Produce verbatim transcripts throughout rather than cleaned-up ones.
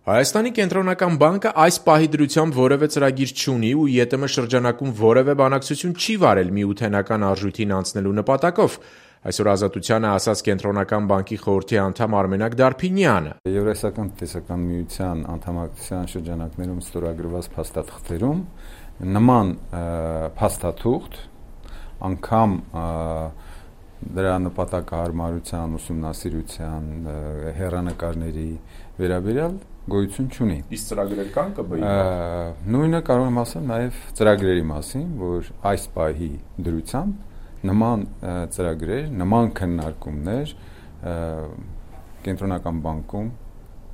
Հայաստանի կենտրոնական բանկը այս պահի դրությամբ որևէ ծրագիր չունի ու ԵՏՄ շրջանակում որևէ բանակցություն չի վարել միութենական արժույթին անցնելու նպատակով, այսօր Ազատությանը ասաց Կենտրոնական բանկի խորհրդի անդամ Արմենակ Դարփինյանը։ Եվրասիական տնտեսական միության անդամակցության շրջանակներում ստորագրված փաստաթղթերում նման փաստաթուղթ անգամ դրա նպատակահարմարության, ուսումնասիրության, հեռանկարների վերաբերյալ գոյություն չունի։ Իսկ ծրագրեր կան ԿԲ-ի։ Նույնը կարող եմ ասել նաև ծրագրերի մասին, որ այս պահի դրությամբ նման ծրագրեր, նման քննարկումներ Կենտրոնական բանկում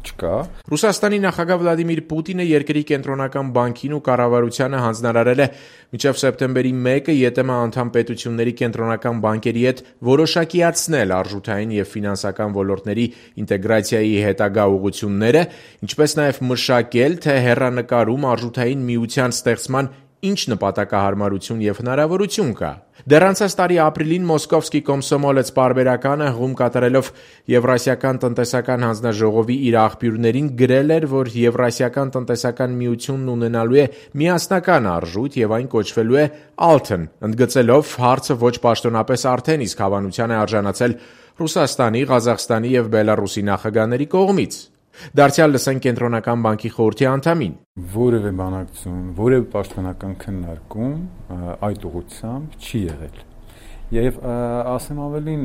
չկա։ Ռուսաստանի նախագահ Վլադիմիր Պուտինը երկրի կենտրոնական բանկին ու կառավարությանը հանձնարարել է մինչև սեպտեմբերի մեկը ԵՏՄ անդամ պետությունների կենտրոնական բանկերի հետ որոշակիացնել արժութային եւ ֆինանսական ոլորտների ինտեգրացիայի հետագա ուղղությունները, ինչպես նաեւ մշակել, թե հեռանկարում արժութային միության ստեղծման ինչ նպատակահարմարություն եւ հնարավորություն կա։ Դեռ անցած տարի ապրիլին Մոսկովսկի Կոմսոմոլեց պարբերականը հղում կատարելով Եվրասիական տնտեսական հանձնաժողովի իր աղբյուրներին գրել էր, որ Եվրասիական տնտեսական միությունն ունենալու է միասնական արժույթ եւ այն կոչվելու է Alten, ընդգծելով հարցը ոչ պաշտոնապես արդեն իսկ հավանության է արժանացել Ռուսաստանի, Ղազախստանի եւ Բելարուսի նախագահների կողմից։ Դարձյալ լսենք Կենտրոնական բանկի խորհրդի անդամին։ Որևէ բանակցություն, որևէ պաշտոնական քննարկում այդ ուղղությամբ չի եղել։ Եվ ասեմ ավելին,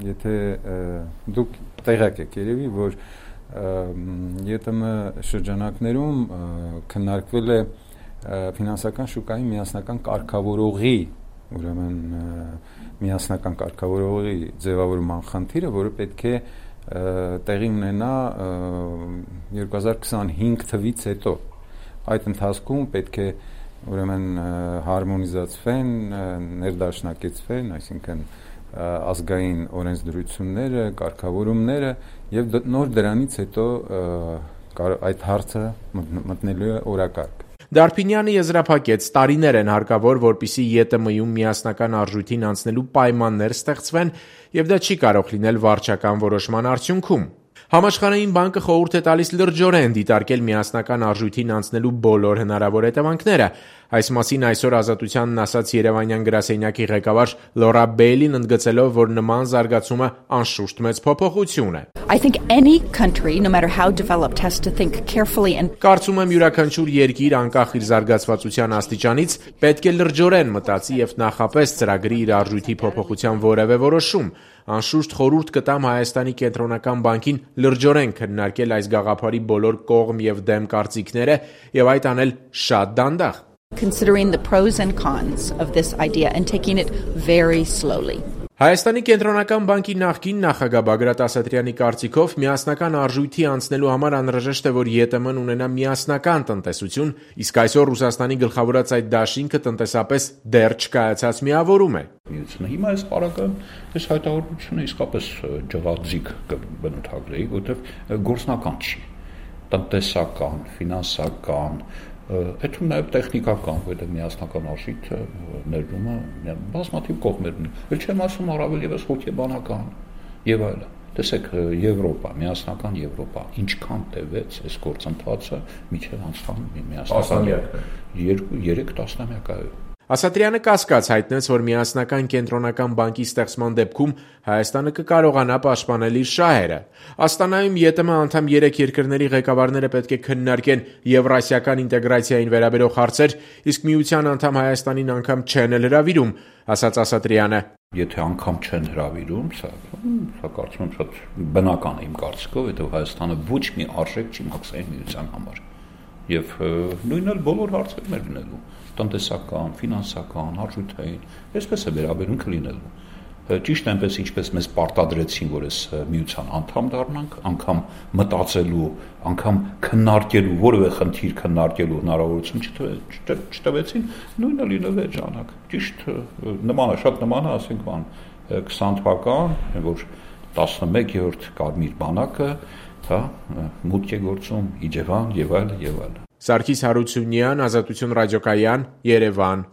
եթե դուք տեղյակ եք երևի, որ ԵՏՄ շրջանակներում քննարկվել է ֆինանսական շուկայի միասնական կարգավորողի, ուրեմն միասնական կարգավորողի ձևավորման խնդիրը, որը պետք է տեղի ունենա երկու հազար քսանհինգ թվականից հետո։ Այդ ընթացքում պետք է ուրեմն հարմոնիզացվեն, ներդաշնակեցվեն, այսինքն ազգային օրենսդրությունները, կարգավորումները եւ նոր դրանից հետո այդ հարցը մտնելու է օրակարգ։ Դարփինյանը եզրափակեց, տարիներ են հարկավոր, որպեսզի ԵՏՄ-ում միասնական արժույթին անցնելու պայմաններ ստեղծվեն, եւ դա չի կարող լինել վարչական որոշման արդյունքում։ Համաշխարհային բանկը խորհուրդ է տալիս լրջորեն դիտարկել միասնական արժույթին անցնելու բոլոր հնարավոր հետևանքները։ Այս մասին այսօր Ազատությանն ասաց Երևանյան գրասենյակի ղեկավար Լորա Բեյլին, ընդգծելով, որ նման զարգացումը անշուշտ մեծ փոփոխություն է։ I think any country, no matter how developed, has to think carefully and Կարծում եմ յուրաքանչյուր երկիր, անկախ իր զարգացվածության աստիճանից, պետք է լրջորեն մտածի եւ նախապես ծրագրի իր արժույթի փոփոխության որևէ որոշում։ Անշուշտ խորհուրդ կտամ Հայաստանի կենտրոնական բանկին լրջորեն քննարկել այս գաղափարի բոլոր կողմ եւ դեմ կարծիքները եւ այդ անել շատ դանդաղ։ considering the pros and cons of this idea and taking it very slowly. Հայաստանի կենտրոնական բանկի նախկին նախագահ Բագրատ Ասատրյանի կարծիքով միասնական արժույթի անցնելու համար անհրաժեշտ է, որ ԵՏՄ-ն ունենա միասնական տնտեսություն, իսկ այսօր Ռուսաստանի գլխավորած այդ դաշինքը տնտեսապես դեռ չկայացած միավորում է։ Միությունը հիմա այս պարագայում այս հայտարարությունը իսկապես ջղաձիգ կբնութագրեի, որովհետև գործնական չի, տնտեսական, ֆինանսական, Այդում նաև տեխնիկական, որտեղ միասնական արժույթը ներդրում է բազմաթիվ կողմեր ունի։ Էլ չեմ ասում առավել եւս հոգեբանական եւ այլն։ Տեսեք, Եվրոպա, միասնական Եվրոպա, ինչքան տևեց այս գործընթացը միջև անցան միասնական երկու երեք տասնամյակայով։ Ասատրյանը կասկած հայտնեց, որ միասնական կենտրոնական բանկի ստեղծման դեպքում Հայաստանը կկարողանա պաշտպանել իր շահերը։ Աստանայում ԵՏՄ անդամ երեք երկրների ղեկավարները պետք է քննարկեն եվրասիական ինտեգրացիային վերաբերող հարցեր, իսկ միության անդամ Հայաստանին անգամ չեն էլ հրավիրում, ասաց Ասատրյանը։ Եթե անգամ չեն հրավիրում, սա, սա կարծում եմ շատ բնական է իմ կարծիքով, որովհետև Հայաստանը ոչ մի արժեք չի մաքսային միության համար։ Եվ նույնն էլ բոլոր հարցերում է լինելու, տնտեսական, ֆինանսական, արժութային, այսպես է վերաբերունքը լինելու։ Ճիշտ այնպես ինչպես մեզ պարտադրեցին, որ այս միության անդամ դառնանք, անգամ մտածելու, անգամ քննարկելու, որևէ խնդիր քննարկելու հնարավորություն չտվեցին, նույնը լինել է ժամանակ։ Ճիշտ նման է, շատ նման է, ասենք բան քսան թվական, որ տասնմեկերորդ Կարմիր բանակը, հա, մուտք է գործում Իջևան եւ այլ եւ այլ։ Սարգիս Հարությունյան, Ազատություն ռադիոկայան, Երևան։